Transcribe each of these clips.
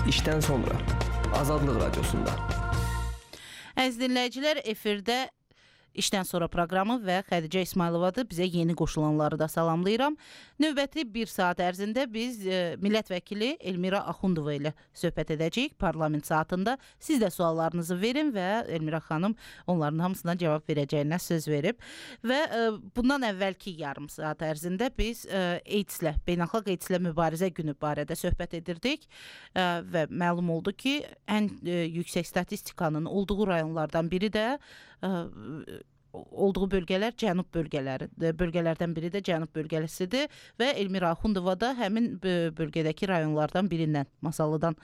İşten sonra Azadlıq Radiosunda. Əziz dinləyicilər, efirdə İşdən sonra proqramı və Xədicə İsmayılovadır. Bizə yeni qoşulanları da salamlayıram. Növbəti bir saat ərzində biz millət vəkili Elmira Axundova ilə söhbət edəcəyik parlament saatında. Siz də suallarınızı verin və Elmira xanım onların hamısına cavab verəcəyinə söz verib. Və bundan əvvəlki yarım saat ərzində biz AIDS-lə, beynəlxalq AIDS-lə mübarizə günü barədə söhbət edirdik və məlum oldu ki, ən yüksək statistikanın olduğu rayonlardan biri də olduğu bölgələr cənub bölgələrdən biri də cənub bölgəsidir və Elmira Axundova da həmin bölgədəki rayonlardan birindən, Masallıdan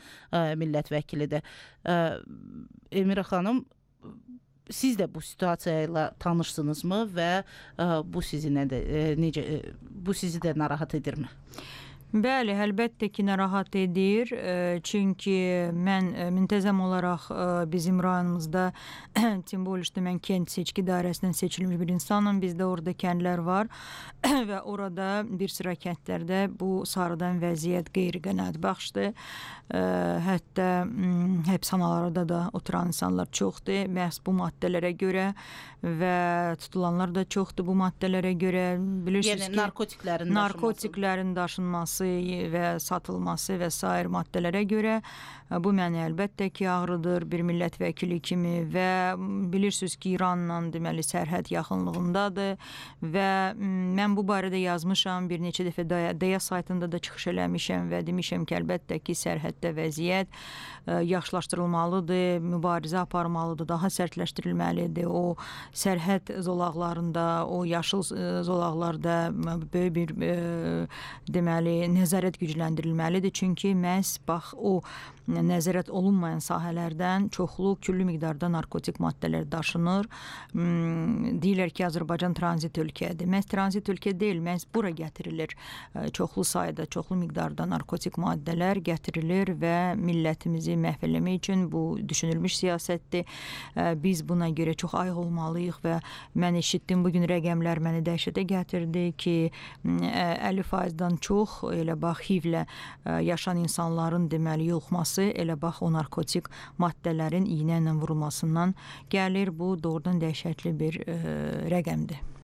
millət vəkilidir. Elmira xanım, siz də bu situasiya ilə tanışsınızmı və bu sizi də narahat edirmi? Bəli, əlbəttə ki, narahat edir. Çünki mən müntəzəm olaraq bizim rayonumuzda, tim bolişdə mən kənd seçki dairəsindən seçilmiş bir insanım. Bizdə orada kəndlər var və orada bir sıra kəndlərdə bu sarıdan vəziyyət qeyri-qənaətbəxşdir. Hətta həbsxanalarda da oturan insanlar çoxdur. Məhz bu maddələrə görə və tutulanlar da çoxdur bu maddələrə görə. Bilirsiniz yəni narkotiklərin daşınması və satılması və sair maddələrə görə bu məni əlbəttə ki, ağrıdır bir millət vəkili kimi və bilirsiniz ki, İranla deməli sərhəd yaxınlığındadır və mən bu barədə yazmışam, bir neçə dəfə DEA saytında da çıxış eləmişəm və demişəm ki, əlbəttə ki, sərhəddə vəziyyət yaxşılaşdırılmalıdır, mübarizə aparmalıdır, daha sərtləşdirilməlidir. O sərhəd zolaqlarında, o yaşıl zolaqlarda böyük bir deməli nəzarət gücləndirilməlidir. Çünki məhz bax o nəzarət olunmayan sahələrdən çoxlu küllü miqdarda narkotik maddələr daşınır. Deyirlər ki, Azərbaycan tranzit ölkədir. Məhz tranzit ölkə deyil, məhz bura gətirilir. Çoxlu sayda, çoxlu miqdarda narkotik maddələr gətirilir və millətimizi məhv eləmək üçün bu düşünülmüş siyasətdir. Biz buna görə çox ayıq olmalıyıq və mən eşitdim bugün rəqəmlər məni dəhşətə gətirdi ki, 50%-dan çox elə bax HIV-lə yaşayan insanların deməli yoluxması elə bax o narkotik maddələrin iynə ilə vurulmasından gəlir. Bu doğrudan dəhşətli bir rəqəmdir.